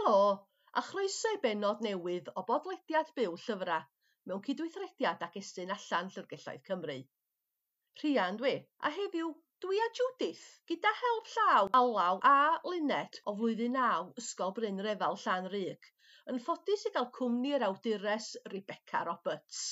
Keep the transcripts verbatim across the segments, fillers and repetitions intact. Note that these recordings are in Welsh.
Helo, a chroeso i bennod newydd o bodlediad Byw Llyfrau mewn cydweithrediad ag Estyn Allan Llyfrgelloedd Cymru. Rhian dwi, a heddiw dwi a Judith, gyda help llaw Alaw a Luned o flwyddyn naw Ysgol Bryn Refal Llanrug, yn ffodus i gael cwmni yr awdures Rebecca Roberts.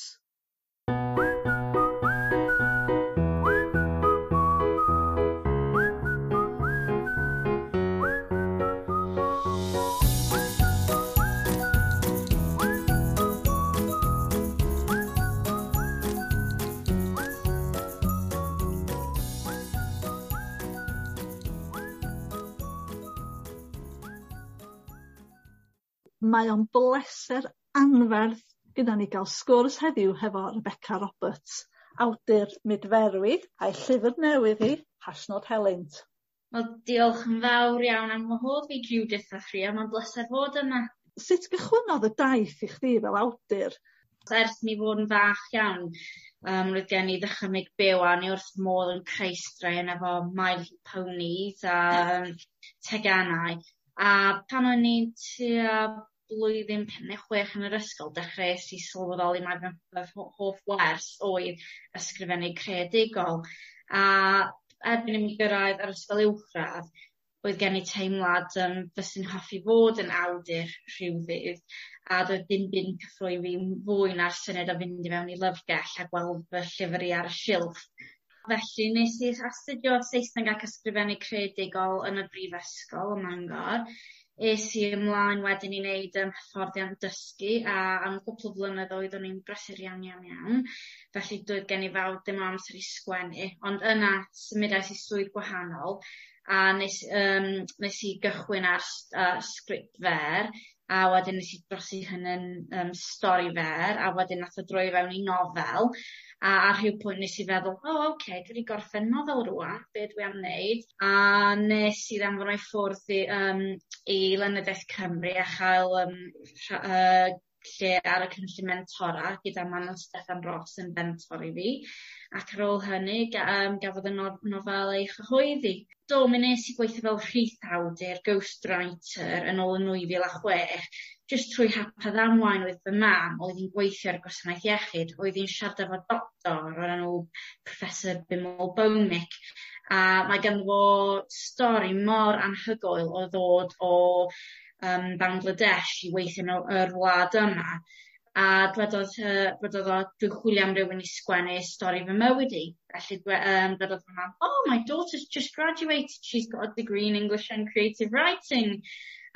Mae o'n bleser anferth gyda ni gael sgwrs heddiw hefo Rebecca Roberts, awdur Mudferwi a'i llyfr newydd hi, Hashnod Helynt. Wel, diolch yn fawr iawn am wahodd fi Judith a Rhia, mae'n bleser fod yma. Sut gychwynnodd y daith i chdi fel awdur? Ers mi fod yn fach iawn, um, roedd gen i ddychymyg byw a ni wrth modd yn creu straeon efo My Little Ponies a um, teganau. A pan o'n i'n tua blwyddyn pump neu chwech yn yr ysgol, dechreuais i sylweddoli mai fy fy hoff wers oedd ysgrifennu creadigol. A erbyn i mi gyrraedd yr ysgol uwchradd, oedd gen i teimlad um, fyswn hoffi fod yn awdur rhyw ddydd, a doedd dim byd yn cyffroi fi fwy na'r syniad o fynd i mewn i lyfrgell a gweld fy llyfr i ar y silff. Felly nes i astudio Saesneg ac ysgrifennu creadigol yn y brifysgol ym Mangor. Es i ymlaen wedyn i wneud um, hyfforddiant dysgu a am gwpl o flynyddoedd o'n i'n brysur iawn iawn iawn. Felly doedd gen i fawr dim o amser i sgwennu, ond yna symudais i swydd gwahanol a nes, um, nes i gychwyn ar uh, sgript fer a wedyn nes i drosi hynny'n um, stori fer a wedyn nath o droi fewn i nofel a ar rhyw pwynt nes i feddwl, o oh, oce, okay, dwi wedi gorffen nofel rŵan, be dwi am wneud? A nes i ddanfon o'i ffwrdd i, um, i Lenyddiaeth Cymru a chael um, uh, lle ar y cynllun mentora gyda Manon Steffan Ros yn fentor i fi, ac ar ôl hynny ga, um, gafodd y no nofel ei chyhoeddi. Do, mi nes i gweithio fel rhith-awdur, ghostwriter, yn ôl yn nwy fil a chwech, jyst trwy hap a ddamwain oedd fy mam, oedd hi'n gweithio ar gwasanaeth iechyd, oedd hi'n siarad efo doctor o'r enw Professor Bimal Bhowmik, a mae ganddo fo stori mor anhygoel o ddod o um, Bangladesh i weithio yn yr wlad yma. A dwedodd, uh, dwedodd o, dwi'n chwilio am rywun i sgwennu stori fy mywyd i. Felly dwe, um, dwedodd fy mam, oh, my daughter's just graduated, she's got a degree in English and Creative Writing.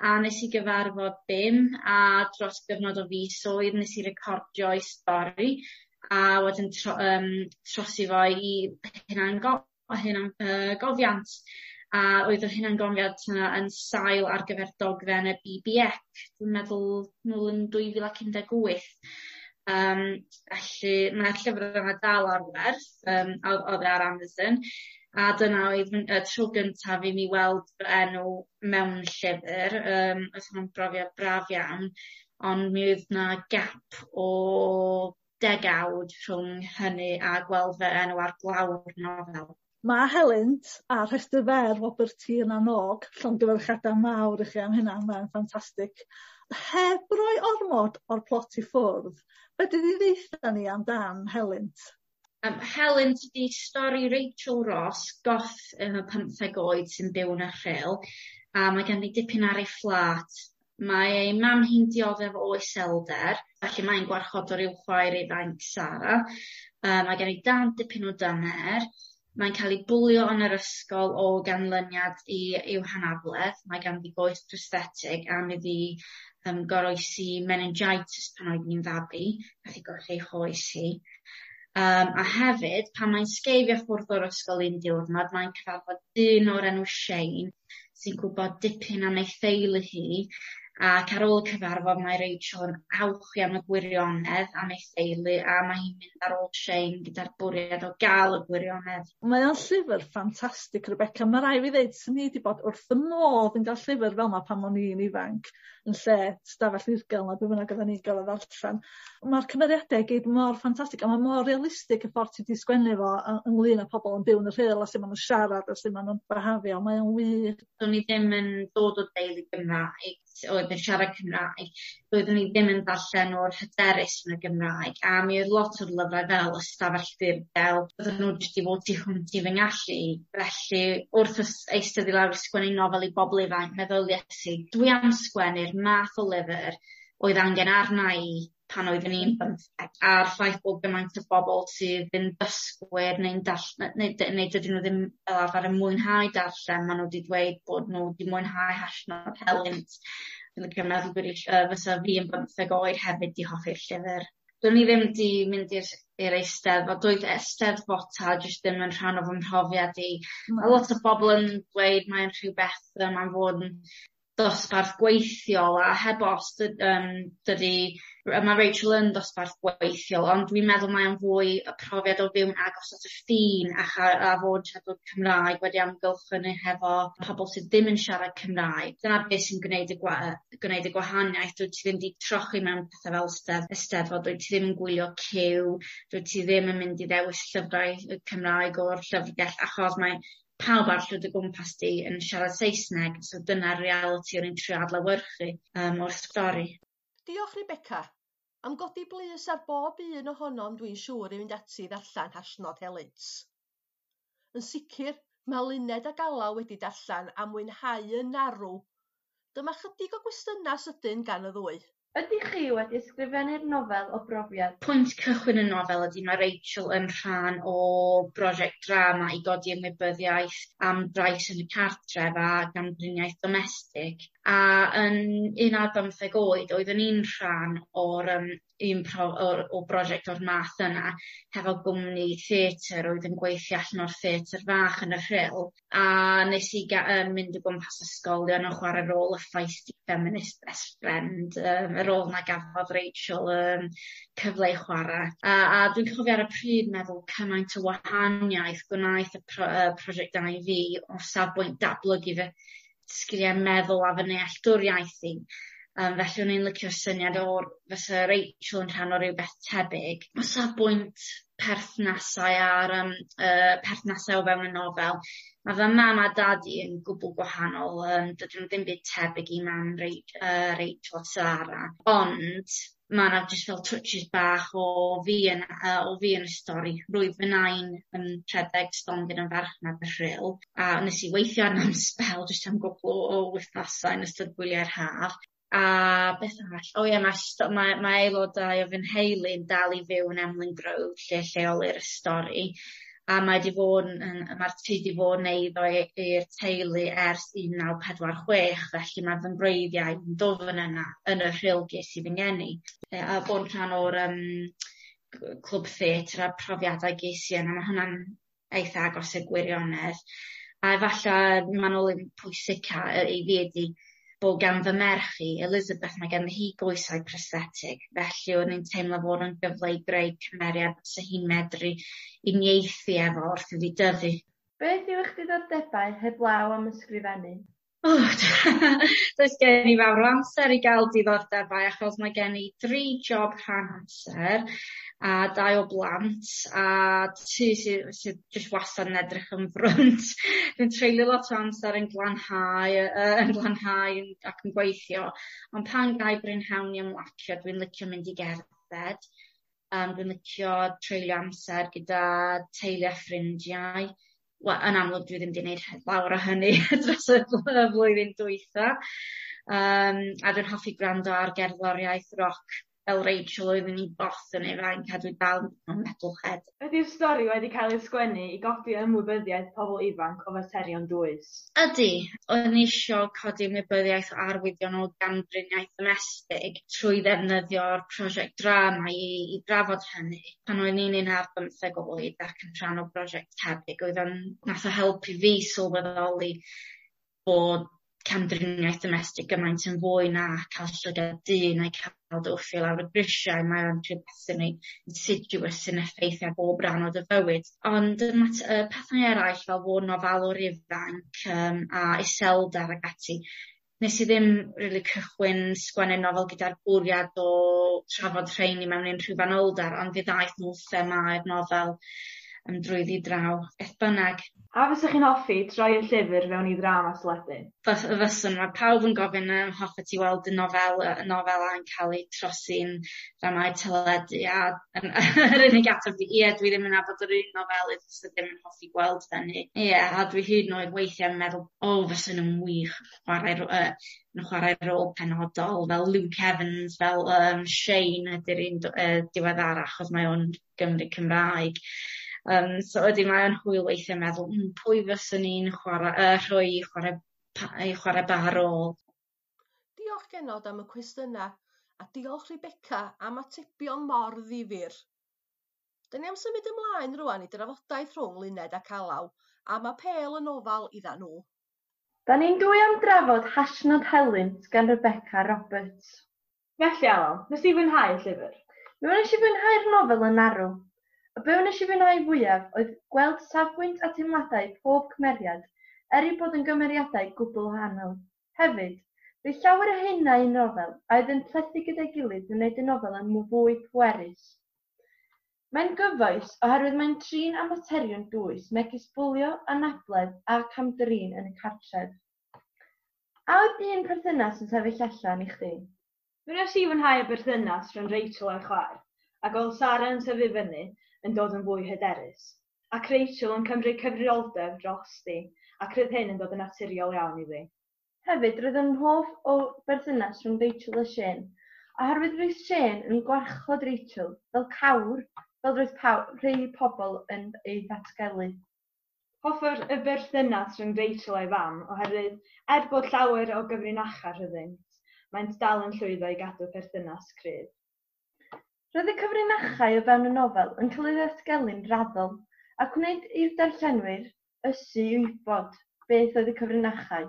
A nes i gyfarfod Bim, a dros gyfnod o fisoedd nes i recordio ei stori, a wedyn tro, um, trosi fo i hunango, hunan, uh, gofiant. A oedd yr hunangofiant yna yn sail ar gyfer dogfen y B B E C, dwi'n meddwl nôl yn dwy fil ac un deg wyth. Um, felly mae'r llyfr yma dal ar werth, um, oedd ar Amazon, a dyna oedd y tro gyntaf i mi weld fy enw mewn llyfr. Um, oedd hwnna'n brofiad braf iawn, ond mi oedd na gap o degawd rhwng hynny a gweld fy enw ar glawr nofel. Mae Helynt a rhestr fer Wobr Tir na n-Og, llongyfarchiadau mawr i chi am hynna, mae'n ffantastig. Heb roi ormod o'r plot i ffwrdd, be 'di di ddeutha ni amdan Helynt? Um, Helynt ydi stori Rachel Ross, goth yn y pymtheg oed sy'n byw yn y Rhyl, a mae ganddi dipyn ar ei fflat. Mae ei mam hi'n dioddef o iselder, felly mae'n gwarchodwr i'w chwaer ifanc Sara. Uh, mae gen i dad dipyn o dyner. Mae'n cael ei bwlio yn yr ysgol o ganlyniad i i'w hanabledd. Mae ganddi goes prosthetig am iddi um, goroesi meningitis pan oedd hi'n fabi, nath hi golli ei choes hi. Um, a hefyd, pan mae'n sgeifio ffwrdd o'r ysgol un diwrnod, mae'n cyfarfod dyn o'r enw Shane, sy'n gwybod dipyn am ei theulu hi, ac ar ôl y cyfarfod mae Rachel yn awchu am y gwirionedd am ei theulu, a mae hi'n mynd ar ôl Shane gyda'r bwriad o gael y gwirionedd. Mae o'n llyfr ffantastig, Rebecca. Mae rai fi ddeud, swn i wedi bod wrth y modd yn cael llyfr fel yma pan o'n i'n ifanc, yn lle stafell ddirgel na be bynnag oedden ni'n gael ei ddarllen. Mae'r cymeriadau i gyd mor ffantastig, a mae mor realistig y ffordd ti wedi sgwennu fo ynglyn â pobl yn byw yn y Rhyl a sut maen nhw'n siarad a sut maen nhw'n byhafio. Mae o'n wych. Do'n i ddim yn dod o deulu Gymraeg. oedd yn siarad Cymraeg, doeddwn i ddim yn darllen o'r hyderus yn y Gymraeg, a mi oedd lot o'r lyfrau fel Ystafell Ddirgel, oedden nhw jyst i fod tu hwnt i fy ngallu. Felly wrth eistedd i lawr i sgwennu nofel i bobl ifanc, meddyliais i, dwi am sgwennu'r math o lyfr oedd angen arna i pan oeddwn i'n bymtheg, a'r ffaith bod gymaint o bobl sydd yn dysgwyr neu'n darllen, neu, neu dydyn nhw ddim fel arfer yn mwynhau darllen, maen nhw wedi dweud bod nhw wedi mwynhau Hashnod Helynt. Dwi'n licio meddwl bod uh, fysa fi yn bymtheg oed hefyd di hoffi'r llyfr. Do'n i ddim di mynd i'r i'r Eisteddfod, doedd Eisteddfota jyst ddim yn rhan o fy mhrofiad i. Mae lot o bobl yn dweud mae'n rhywbeth mae'n fod yn dosbarth gweithiol, a heb os um, dydy, mae Rachel yn dosbarth gweithiol, ond dwi'n meddwl mae o'n fwy y profiad o fyw'n agos at y ffin a, a fod siaradwr Cymraeg wedi amgylchynu hefo pobl sydd ddim yn siarad Cymraeg. Dyna beth sy'n gwneud y, gwa gwneud y gwahaniaeth. Dwyt ti ddim wedi trochi mewn pethau fel Eisteddfod, dwyt ti ddim yn gwylio ciw, dwyt ti ddim yn mynd i ddewis llyfrau Cymraeg o'r llyfrgell, achos mae pawb arall o gwmpas di yn siarad Saesneg, so dyna'r realiti o'n i'n trio adlewyrchu um, o'r stori. Diolch Rebecca, am godi blys ar bob un ohonom dwi'n siŵr i fynd ati i ddarllen Hashnod Helynt. Yn sicr, mae Luned ac Alaw wedi darllen a mwynhau yn arw. Dyma chydig o gwestiynau sydyn gan y ddwy. Ydych chi wedi ysgrifennu'r nofel o brofiad? Pwynt cychwyn y nofel ydy mae Rachel yn rhan o brosiect drama i godi ymwybyddiaeth am drais yn y cartref a gamdriniaeth domestig. A yn un ar bymtheg oed oeddwn i'n rhan o'r um, un pro, o, o brosiect o'r math yna hefo gwmni theatr oedd yn gweithio allan o'r theatr fach yn y Rhyl, a nes i ga, um, mynd o gwmpas ysgolion yn chwarae rôl y feisty feminist best friend, um, y rôl na gafodd Rachel um, cyfle i chwarae. A, a dwi'n cofio ar y pryd meddwl cymaint o wahaniaeth gwnaeth y pro, uh, prosiect yna i fi o safbwynt datblygu fy sgiliau meddwl a fy nealltwriaeth i. Um, felly o'n i'n licio'r syniad o'r fysa Rachel yn rhan o rhywbeth tebyg. O safbwynt perthnasau a'r um, uh, perthnasau o fewn y nofel, mae fy mam a dadi yn gwbl gwahanol, um, dydyn nhw ddim byd tebyg i mam uh, Rachel a Sarah, ond mae yna jyst fel touches bach o fi yn, uh, o fi yn y stori. Rwyf fy nain yn rhedeg stondin yn farchnad y Rhyl, a nes i weithio arno am sbel jyst am gwbl o, o wythnosau yn ystod gwyliau'r haf. A beth arall? O ie, mae, mae, mae aelodau o fy nheulu'n dal i fyw yn Emlyn Grove, lle lleolir y stori. A mae di fod yn, mae'r tŷ di fod yn eiddo i'r teulu ers un naw pedwar chwech, felly mae fy ngwreiddiau yn dwfn yna yn y Rhyl ges i fy ngeni. A bod yn rhan o'r um, clwb theatr a profiadau ges i yna, mae hwnna'n eitha agos i'r gwirionedd. A efallai manylyn pwysica i fi ydi bod gan fy merch i, Elizabeth, mae ganddi hi goesau prosthetig, felly o'n i'n teimlo bod yn gyfle i greu cymeriad fysa hi'n medru uniaethu efo wrth iddi dyfu. Beth yw eich diddordebau heblaw am ysgrifennu? Oh, does gen i fawr o amser i gael diddordebau achos mae gen i dri job rhan amser a dau o blant a tŷ sydd, sydd jyst wastad yn edrych yn frwnt. Dwi'n treulio lot o amser yn glanhau, uh, yn glanhau ac yn gweithio, ond pan gai brynhawn i ymlacio, dwi'n licio mynd i gerdded. Um, dwi'n licio treulio amser gyda teulu a ffrindiau. Wel, yn amlwg dwi ddim wedi gwneud lawer o hynny dros y flwyddyn dwytha. Um, a dwi'n hoffi gwrando ar gerddoriaeth roc fel Rachel oeddwn i'n both yn ifanc a dwi dal yn metalhead. Ydy'r stori wedi cael ei sgwennu i godi ymwybyddiaeth pobl ifanc o faterion dwys? Ydy. O'n i isio codi ymwybyddiaeth o arwyddion o gamdriniaeth domestig trwy ddefnyddio'r prosiect drama i, i drafod hynny. Pan o'n i'n un ar bymtheg oed ac yn rhan o brosiect tebyg, oedd o'n nath o helpu fi sylweddoli bod camdriniaeth domestig gymaint yn fwy na cael llygad dyn neu cael dy wthio lawr y grisiau. Mae o'n rhywbeth sy'n insidious sy'n effeithio ar bob rhan o dy fywyd. Ond y pethau eraill fel fod yn ofalwr ifanc um, a iselder ac ati, nes i ddim really cychwyn sgwennu nofel gyda'r bwriad o trafod rheini mewn unrhyw fanylder, ond fe ddaeth nhw themâu'r nofel um, drwyddi draw, beth bynnag. A fysech chi'n hoffi troi y llyfr fewn i ddrama teledu? Fys- fyswn, mae pawb yn gofyn um, hoffi ti weld y nofel, y nofela yn cael ei trosi'n dramâu teledu, a yr unig ateb ydi ie, dwi ddim yn nabod yr un nofelydd sydd ddim yn hoffi gweld hynny. Ie, a dwi hyd yn oed weithiau yn meddwl, o, fysen nhw'n wych chwarae, uh, yn chwarae rôl penodol fel Luke Evans, fel um, Shane ydy'r un uh, diweddara, achos mae o'n Gymry Cymraeg. Um, so ydy, mae o'n hwyl weithiau meddwl, mm, pwy fyswn i'n chwarae, uh, rhoi i chwarae, i chwarae ba rôl. Diolch genod am y cwestiynau, a diolch Rebecca am atebion mor ddifyr. Da ni am symud ymlaen rwan i drafodaeth rhwng Luned ac Alaw am apêl y nofel idda nhw. Da ni'n dwy am drafod Hashnod Helynt gan Rebecca Roberts. Felly Alaw, nes i fwynhau y llyfr? Mi wnes i fwynhau'r nofel yn arw. A be wnes i fwynhau fwyaf oedd gweld safbwynt a teimladau pob cymeriad, er eu bod yn gymeriadau gwbl wahanol. Hefyd, roedd llawer o haenau yn nofel a oedd yn plethu gyda'i gilydd yn wneud y nofel yn fwy pwerus. Mae'n gyfoes oherwydd mae'n trin â materion dwys megis bwlio, anabledd a cam-drin yn y cartref. A oedd un perthynas yn sefyll allan i chdi? Mi wnes i fwynhau y berthynas rhwng Rachel a'i chwaer, ac oedd Sara yn tyfu fyny yn dod yn fwy hyderus, ac Rachel yn cymryd cyfrifoldeb drosti, ac roedd hyn yn dod yn naturiol iawn iddi. Hefyd, roedd yn hoff o berthynas rhwng Rachel a Shane, oherwydd roedd Shane yn gwarchod Rachel fel cawr, fel roedd paw- rhai pobl yn ei ddatgelu. Hoffwn y berthynas rhwng Rachel a'i fam, oherwydd er bod llawer o gyfrinachau rhyngddynt, maent dal yn llwyddo i gadw perthynas cryf. Roedd y cyfrinachau o fewn y nofel yn cael ei ddatgelu'n raddol, a gwneud i'r darllenwyr ysu i wybod beth oedd y cyfrinachau.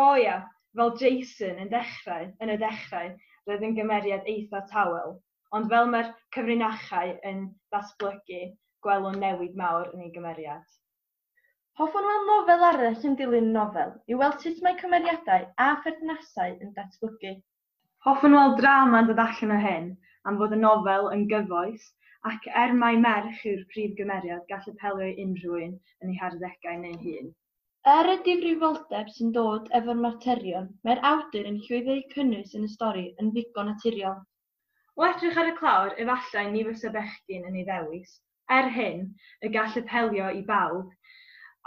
O ia, fel Jason yn dechrau, yn y dechrau, roedd yn gymeriad eitha tawel, ond fel mae'r cyfrinachau yn datblygu, gwelwn newid mawr yn ei gymeriad. Hoffwn weld nofel arall yn dilyn y nofel i weld sut mae cymeriadau a pherthnasau yn datblygu. Hoffwn weld drama yn dod allan o hyn, am fod y nofel yn gyfoes, ac er mai merch yw'r prif gymeriad, gall apelio i unrhyw un yn ei harddegau neu hŷn. Er y difrifoldeb sy'n dod efo'r materion, mae'r awdur yn llwyddo eu cynnwys yn y stori yn ddigon naturiol. O edrych ar y clawr, efallai ni fysa bechgyn yn ei ddewis. Er hyn, y gall apelio i bawb,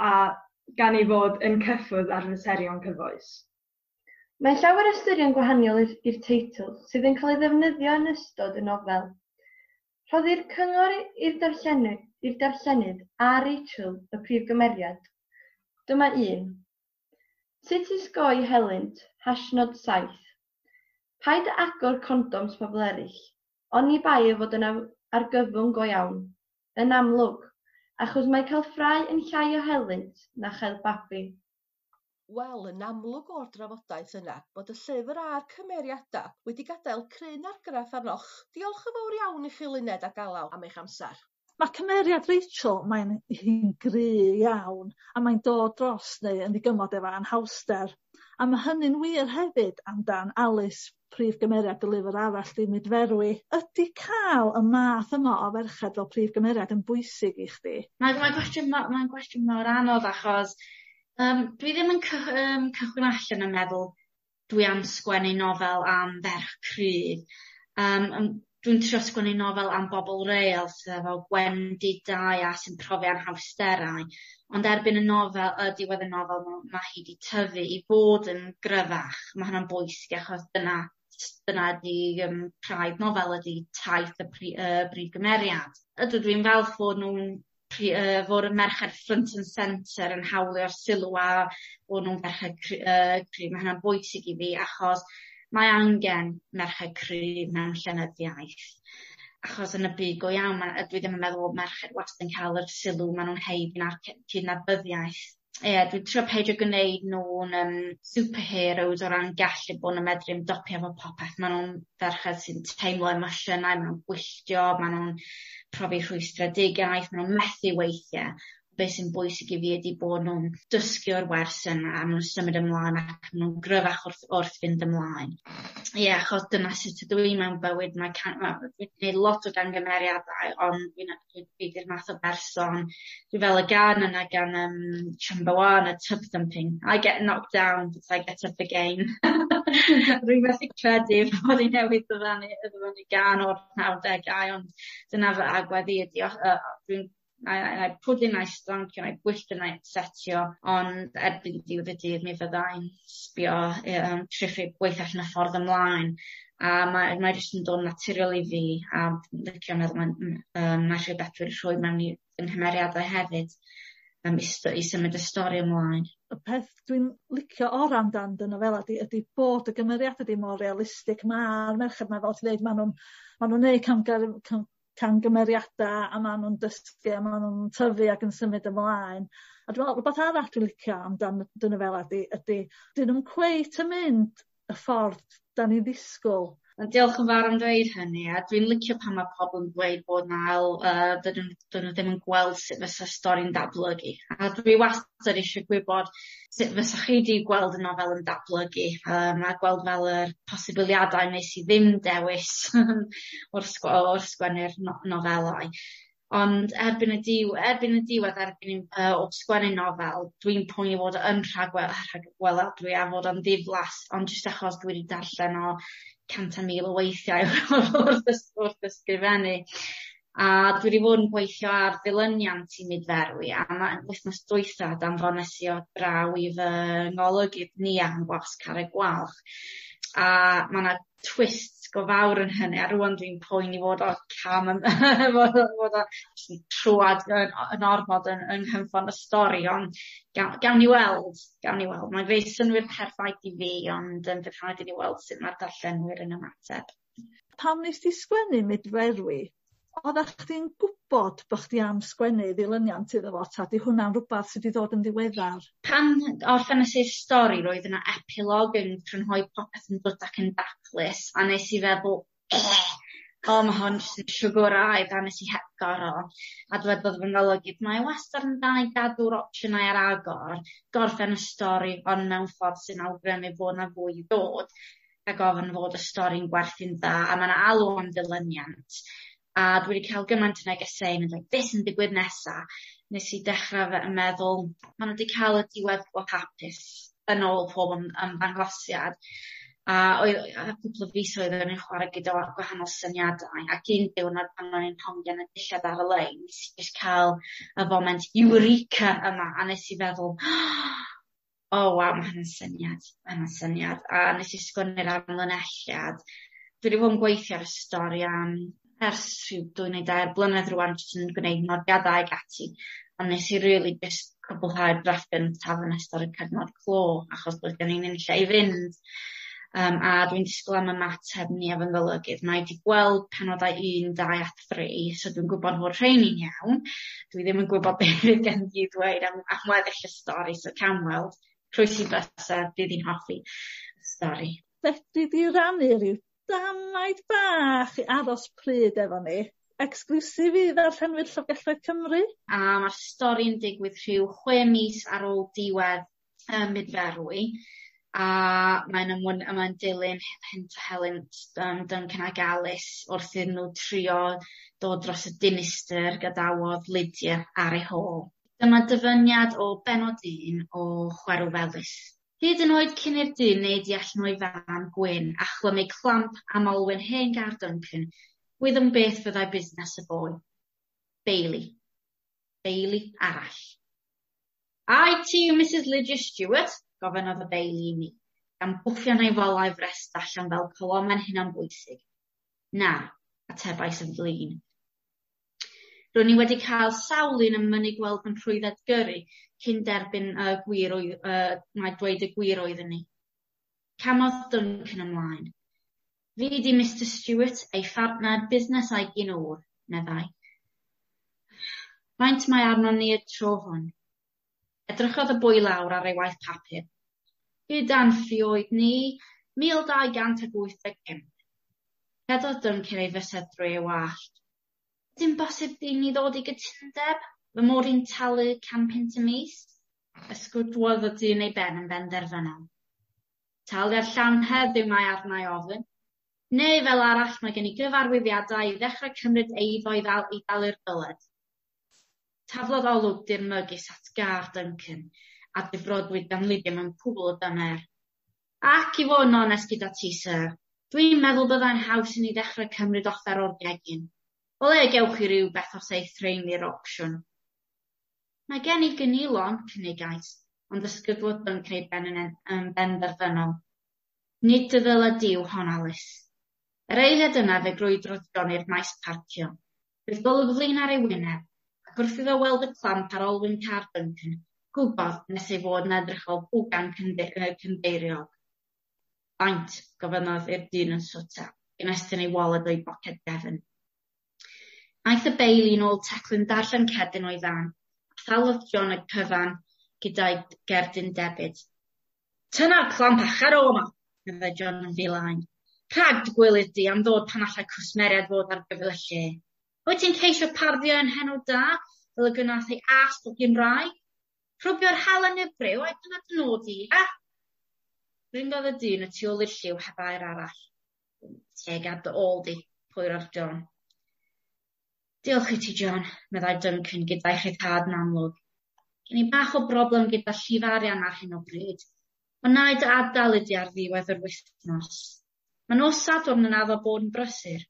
a gan ei fod yn cyffwrdd ar faterion cyfoes. Mae llawer ystyrion gwahaniol i'r teitl sydd yn cael ei ddefnyddio yn ystod y nofel. Rhoddir cyngor i'r darllenydd, i'r darllenydd a Rachel, y prif gymeriad. Dyma un. Sut i osgoi helynt, hashnod saith. Paid â agor condoms pobl eraill, oni bai ei fod yn argyfwng go iawn. Yn amlwg, achos mae cael ffrae yn llai o helynt na chael babi. Wel, yn amlwg o'r drafodaeth yna bod y llyfr a'r cymeriadau wedi gadael cryn argraff arnoch. Diolch yn fawr iawn i chi Luned ac Alaw am eich amser. Mae cymeriad Rachel, mae'n hi'n gry iawn, a mae'n dod dros neu yn ddigymod efo anhawster. A mae hynny'n wir hefyd amdan Alice, prif gymeriad y lyfr arall, Dim Mudferwi. Ydy cael y math yma o ferched fel prif gymeriad yn bwysig i chdi? Mae'n mae gwestiwn, mae'n gwestiwn mor anodd achos um, dwi ddim yn cy, um, cychwyn allan yn meddwl dwi am sgwennu nofel am ferch cryf. Um, dwi'n trio sgwennu nofel am bobl real sydd efo gwendidau a sy'n profi anhawsterau. Ond erbyn y nofel, y diwedd y nofel, mae, ma hi wedi tyfu i fod yn gryfach. Mae hynna'n bwysig achos dyna, dyna ydi um, craidd nofel ydi taith y pri, uh, brif gymeriad. Ydw, dwi'n falch fod nhw'n pri, uh, fod y merched front and centre yn hawlio'r sylw a bod nhw'n ferched cry, uh, cryf. Mae hynna'n bwysig i fi achos mae angen merched cryf mewn llenyddiaeth. Achos yn y byd go iawn, ma, dwi ddim yn meddwl bod merched wastad yn cael yr sylw maen nhw'n haeddu na'r cydnabyddiaeth. Ie, dwi'n trio peidio gwneud nhw'n um, superheroes o ran gallu bod yn medru ymdopi efo popeth. Maen nhw'n ferched sy'n teimlo emosiynau, maen nhw'n gwylltio, maen nhw'n profi rhwystredigaeth, maen nhw'n methu weithiau. Be sy'n bwysig i fi ydy bod nhw'n dysgu o'r wers yna, a maen nhw'n symud ymlaen ac maen nhw'n gryfach wrth, wrth fynd ymlaen. Ie, yeah, achos dyna sut ydw i mewn bywyd. Mae can, ma, dwi'n gwneud lot o gangymeriadau, ond dwi'n dwi di'r math o berson. Dwi fel y gân yna gan um, Chumbawamba, Tubthumping. "I get knocked down, but I get up again." Rwy'n methu credu bod i newydd ddyfynnu, ddyfynnu gân o'r nawdegau, ond dyna fy agwedd i ydi. Uh, dwi'n Na i pwdu na i stoncio, na i gwylltio na i upsetio, ond erbyn diwedd y dydd mi fyddai'n sbio, um, trio gweithio allan y ffordd ymlaen. A mae, mae jyst yn dod naturiol i fi, a licio meddwl mae'n um, mae rhywbeth dwi'n rhoi mewn i fy nghymeriadau hefyd um, i, i symud y stori ymlaen. Y peth dwi'n licio ora amdan dy nofela di ydy bod y gymeriadau di mor realistig. Mae'r merched 'ma, fel ti'n dweud, maen nhw'n ma nhw'n neud camgymeriadau cam, camgymeriadau a maen nhw'n dysgu a maen nhw'n tyfu ac yn symud ymlaen. A dwi'n meddwl rhywbeth arall dwi'n licio amdan dy nofela di ydy dyn nhw'n cweit yn mynd y ffordd da ni'n ddisgwyl. Diolch yn fawr am dweud hynny, a dwi'n licio pan mae pobl yn dweud bod na, uh, dydyn, dydyn nhw ddim yn gweld sut fysa stori'n datblygu. A dwi wastad eisiau gwybod sut fysa chi wedi gweld y nofel yn datblygu, um, a gweld fel yr posibiliadau nes i ddim dewis wrth, wrth sgwennu'r no nofelau. Ond erbyn y, diw, erbyn y diwedd, erbyn uh, o sgwennu nofel, dwi'n poeni fod yn rhagwel, rhagweladwy a fod yn ddiflas, ond jyst achos dwi wedi darllen o cant a mil o weithiau wrth, wrth ysgrifennu. A dwi wedi bod yn gweithio ar ddilyniant i Mudferwi, a ma' wythnos dwytha danfones i o draw i fy ngolygydd ni am Gwasg Carreg Gwalch. A ma' 'na twist go fawr yn hynny, a rwan dwi'n poeni fod o cam yn fod o fod o jyst yn trwad yn, yn ormod yn, yng nghynffon y stori, ond gawn, gawn ni weld, gawn ni weld. Mae'n gwneud synnwyr perffaith i fi, ond um, bydd rhaid i ni weld sut mae'r darllenwyr yn ymateb. Pam nes di sgwennu Mudferwi, oeddach chdi'n gwybod bod chdi am sgwennu ddilyniant iddo fo, ta di hwnna'n rhywbeth sydd wedi dod yn ddiweddar? Pan orffenais i'r stori, roedd yna epilog yn crynhoi popeth yn dod ac yn daclus, a nes i feddwl, eh, o, mae hwn jyst yn siwgwraidd, a nes i hepgor o. A dwedodd fy ngolygydd, mae wastad yn dda i gadw'r opsiynau ar agor, gorffen y stori, ond mewn ffordd sy'n awgrymu bod 'na fwy i ddod, ac ofyn fod y stori'n gwerthu'n dda, a mae 'na alw am ddilyniant. A dwi wedi cael gymaint o negeseuon yn dweud, beth sy'n digwydd nesa? Nes i dechrau fe yn meddwl, maen nhw wedi cael y diweddglo hapus yn ôl pob ymddangosiad. A oedd a cwpl o fisoedd o'n i'n chwarae gyda gwahanol syniadau, ac un diwrnod pan o'n i'n hongian y dillad ar y lein, nes i jyst cael y foment eureka yma, a nes i feddwl, oh waw, mae hynny'n syniad, mae hynny'n syniad. A nes i sgwennu'r amlinelliad. Dwi wedi bod yn gweithio ar y stori am ers rhyw dwy neu dair blynedd rwan, jyst yn gwneud nodiadau ag ati. Ond nes i really just cwblhau'r drafft gyntaf yn ystod y cyfnod clo, achos doedd gen i'm unlle i fynd. Um, a dwi'n disgwyl am ymateb ni efo golygydd. Mae wedi gweld penodau un, dau a tri, so dwi'n gwybod fod rheini'n iawn. Dwi ddim yn gwybod beth fydd gen i ddweud am, am weddill y stori, so cawn weld. Croesi bysedd, bydd hi'n hoffi y stori. Fedri di rannu rhyw damaid bach i aros pryd efo ni? Exclusive i ddarllenwyr Llyfrgelloedd Cymru? A mae'r stori'n digwydd rhyw chwe mis ar ôl diwedd um, Mudferwi, a mae'n ymwn, mae'n dilyn hynt a helynt um, Duncan ag Alice wrth iddyn nhw trio dod dros y dinistr gadawodd Lydia ar ei hôl. Dyma dyfyniad o benod un o Chwerw Felys. Hyd yn oed cyn i'r dyn neidio allan o'i fan gwyn a chlymu clamp am olwyn hen gar Duncan, wyddwn beth fyddai busnes y boi. Bailey. Bailey arall. "Ai ti yw Missus Lydia Stewart?" gofynnodd y Bailey i mi, gan bwffian ei folau frest allan fel colomen hunanbwysig. "Na," atebais yn flin. Ro'n i wedi cael sawl un yn mynnu gweld fy nhrwydded gyrru cyn derbyn uh, gwir oedd, uh, mae dweud y gwir oeddwn i. Camodd Duncan ymlaen. "Fi di Mister Stewart, ei phartner busnes a'i gyn-ŵr," meddai. "Faint mae arnon ni y tro hwn?" Edrychodd y boi lawr ar ei waith papur. "Gyda'n ffioedd ni, mil dau gant ag wyth deg pump." Rhedodd Duncan ei fysedd drwy ei wallt. "Dim bosib i ni ddod i gytundeb? Fy mod i'n talu can punt y mis?" Ysgwydwodd y dyn ei ben yn benderfynol. Taliad llawn heddiw mae arna i ofyn. Neu fel arall mae gen i gyfarwyddiadau i ddechrau cymryd eiddo i ddal i dalu'r dyled. Taflodd olwg dirmygus at gar Duncan, a difrodwyd gan Lydia mewn cwbl o dymer. Ac i fod yn onest gyda ti, syr, dwi'n meddwl byddai'n haws i ni ddechrau cymryd offer o'r gegin. O le gewch chi rywbeth os eith rhein i'r auction? Mae gen i gynilon, cynigais, ond ysgydwodd Duncan ei ben yn, yn benderfynol. Nid dy ddyled di yw hon, Alice. Yr eiliad yna fe grwydrodd John i'r maes parcio. Roedd golwg flin ar ei wyneb, ac wrth iddo weld y clamp ar olwyn car Duncan, gwybod nes ei fod yn edrych fel bwgan cynddeiriog. Faint, gofynnodd i'r dyn yn swta, gan estyn ei waled o'i boced gefn. Aeth y beili nôl teclyn darllen cerdyn o'i fan, a thalodd John y cyfan gyda'i gerdyn debyd. Tynna'r clamp a cher o 'ma, meddai John yn filain. Rhag dy gwilydd di am ddod pan allai cwsmeriaid fod ar gyfer y lle. Wyt ti'n ceisio parddio yn henw da, fel y gwnaeth ei ast o Gymraeg? Rhwbio'r halen i'r briw, ai dyna dy nod i, a? Ringodd y dyn y tu ôl i'r lliw heb air arall. Teg ar dy ôl di, pwyrodd John. Diolch i ti, John, meddai Duncan gyda'i rhyddhad yn amlwg. Gen i bach o broblem gyda llif arian ar hyn o bryd, ond na i dy adael i di ar ddiwedd yr wythnos. Mae nos Sadwrn yn addo bod yn brysur.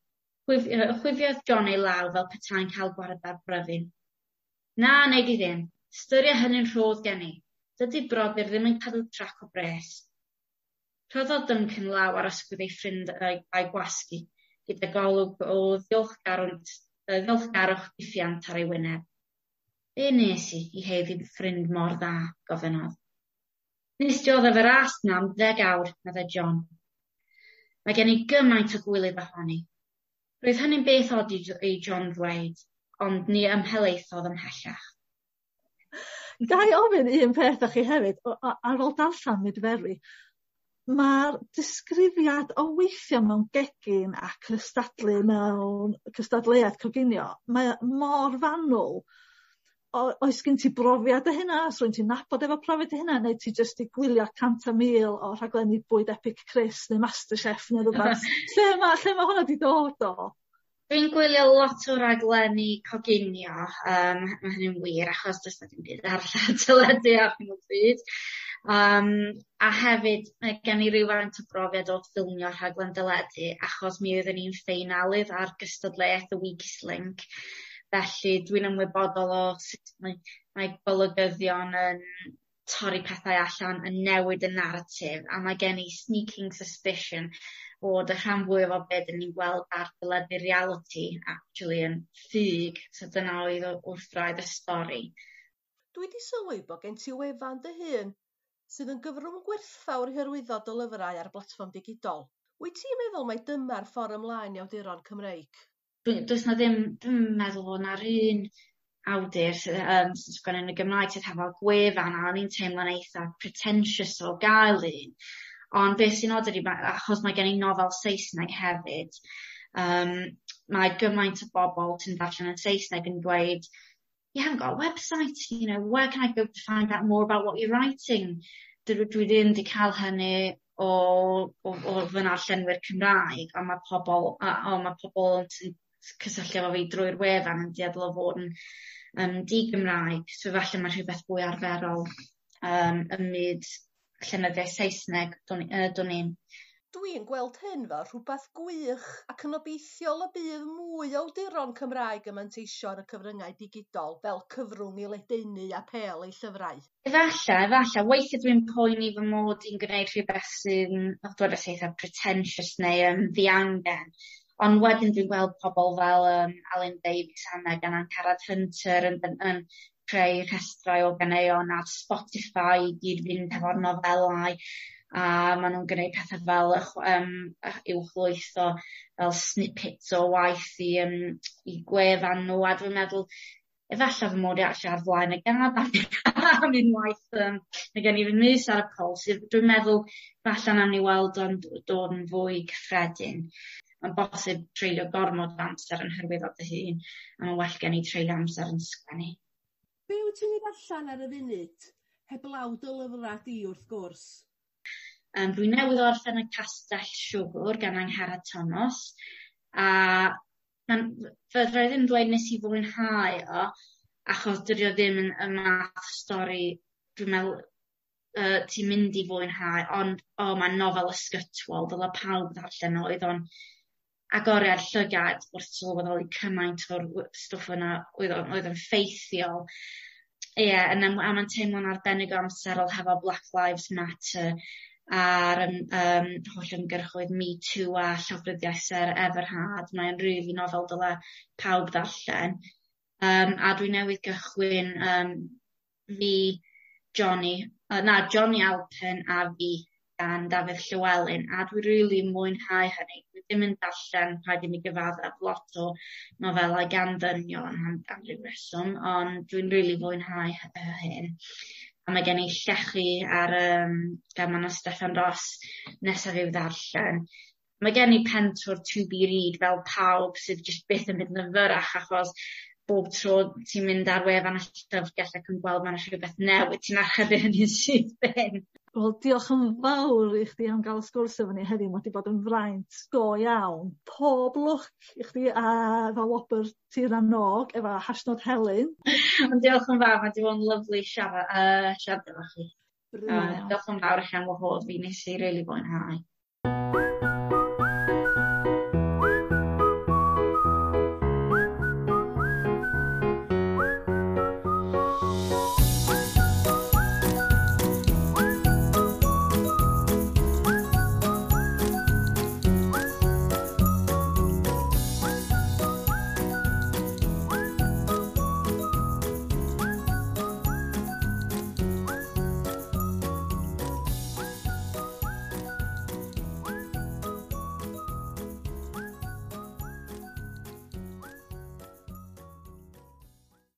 Chwifiodd John ei law fel petai'n cael gwared ar bryfyn. Na, nei di ddim. Ystyria hynny'n rhodd gen i. Dydy brodyr ddim yn cadw trac o bres. Rhoddodd Duncan law ar ysgwydd ei ffrind a'i gwasgu, gyda golwg o ddiolchgarwch diffuant ar ei wyneb. Be nes i i haeddu ffrind mor dda, gofynnodd. Nes dioddef yr ast 'na am ddeg awr, meddai John. Mae gen i gymaint o gwilydd ohoni. Roedd hynny'n beth od i John ddweud, ond ni ymhelaethodd ymhellach. Ga i ofyn un peth â chi hefyd, ar ôl darllen Mudferwi, mae'r disgrifiad o weithio mewn gegin a cystadlu mewn cystadleuaeth coginio, mae o mor fanwl. O, oes gen ti brofiad o hynna? Oes rywun ti'n nabod efo profiad o hynna? Neu ti jyst 'di gwylio cant a mil o rhaglenni Bwyd Epic Chris neu MasterChef neu rwbath? Lle ma' lle ma' hwnna 'di dod o? Dwi'n gwylio lot o raglenni coginio, um, mae hynny'n wir achos does 'na dim byd arall ar teledu ar hyn o bryd. Um, a hefyd mae gen i rywfaint o brofiad o ffilmio rhaglen deledu achos mi oeddwn i'n ffeinalydd ar gystadleuaeth The Weakest Link. Felly dwi'n ymwybodol o sut mae, mae golygyddion yn torri pethau allan, yn newid y naratif, a mae gen i sneaking suspicion bod y rhan fwyaf o beth 'dyn ni'n gweld ar deledu reality actually yn ffug, so dyna oedd wrth wraidd y stori. Dwi 'di sylwi bod gen ti wefan dy hun sydd yn gyfrwng gwerthfawr i hyrwyddo dy lyfrau ar blatfform digidol. Wyt ti'n meddwl mai dyma'r ffordd ymlaen i awduron Cymreig? Does 'na ddim, dwi'm yn meddwl fod 'na'r un awdur sydd um, sy'n sgwennu yn y Gymraeg sydd hefo gwefan, a o'n i'n teimlo'n eitha pretentious o gael un. Ond beth sy'n od ydi, achos mae gen i nofel Saesneg hefyd, um, mae gymaint o bobl sy'n darllen yn Saesneg yn dweud, you haven't got a website, you know, where can I go to find out more about what you're writing? Dwi, dwi ddim wedi cael hynny o, o, o fy narllenwyr Cymraeg, ond mae pobl, a, o, mae pobl sy'n cysylltu efo fi drwy'r wefan yn dueddol o fod yn um, di-Gymraeg, so falle mae rhywbeth fwy arferol um, ym myd llenyddiaeth Saesneg, dwn, uh, dwn i'm. Dwi'n gweld hyn fel rhywbeth gwych ac yn obeithiol y bydd mwy o awduron Cymraeg yn manteisio ar y cyfryngau digidol fel cyfrwng i ledaenu apêl eu llyfrau. Efalla, efalla. Weithiau dwi'n poeni fy mod i'n gwneud rhywbeth sy'n, dwedais eitha pretentious neu um, ddiangen. Ond wedyn dwi'n gweld pobl fel um, Alun Davies a Megan Angharad Hunter yn, yn, yn creu rhestrau o ganeuon ar Spotify i gyd fynd hefo'r nofelau, a maen nhw'n gwneud pethau fel um, uwchlwytho fel snippets o waith i, um, i gwefan nhw, a dwi'n meddwl efallai fy mod i actually ar flaen y gad am, am unwaith, um, mae gen i fy mys ar y pols. Dwi'n meddwl falle nawn ni weld o'n dod yn fwy cyffredin. Mae'n bosib treulio gormod o amser yn hyrwyddo dy hun, a mae'n well gen i treulio amser yn sgwennu. Be wyt ti'n ei ddarllen ar y funud? Heblaw dy lyfrau di wrth gwrs. Um, dwi newydd orffen Y Castell Siwgr gan Angharad Tomos, a ma'n fedra i ddim dweud nes i fwynhau o, achos dydi o ddim yn y math o stori dwi'n meddwl uh, ti'n mynd i fwynhau, ond o, mae'n nofel ysgytwol, dyle pawb ddarllen o. Oedd o'n agoriad llygad wrth sylweddoli cymaint o'r stwff yna oedd o'n oedd yn ffeithiol. Ie, yeah, a mae'n teimlo'n arbennig o amserol hefo Black Lives Matter a'r um, um, holl ymgyrchoedd Me Too a llofruddiaeth Sarah Everard. Mae'n rili nofel dyle pawb ddarllen. Um, a dwi newydd gychwyn um, Fi, Johnny, uh, na, Johnny Alpen a Fi gan Dafydd Llywelyn, a dwi rili mwynhau hynny. Dwi ddim yn darllen, rhaid i mi gyfaddef, lot o nofelau gan ddynion am, am ryw reswm, ond dwi'n rili fwynhau hyn. A mae gen i Llechi ar um, gan Manon Steffan Ros nesaf i'w ddarllen. Mae gen i pentwr to be read fel pawb sydd jyst byth yn mynd yn fyrrach, achos bob tro ti'n mynd ar wefan y llyfrgell ac yn gweld ma' 'na rhywbeth newydd, ti'n archebu hynny'n syth bin. Wel, diolch yn fawr i chdi am gael y sgwrs efo ni heddiw. Mae wedi bod yn fraint go iawn. Pob lwc i chdi a efo wobr Tir na n-Og efo hashnod Helen. Ond diolch yn fawr, mae wedi bod yn lyfli siarad, uh, siarad efo chi. Uh, diolch yn fawr i chi am wahodd fi, nes i rili fwynhau.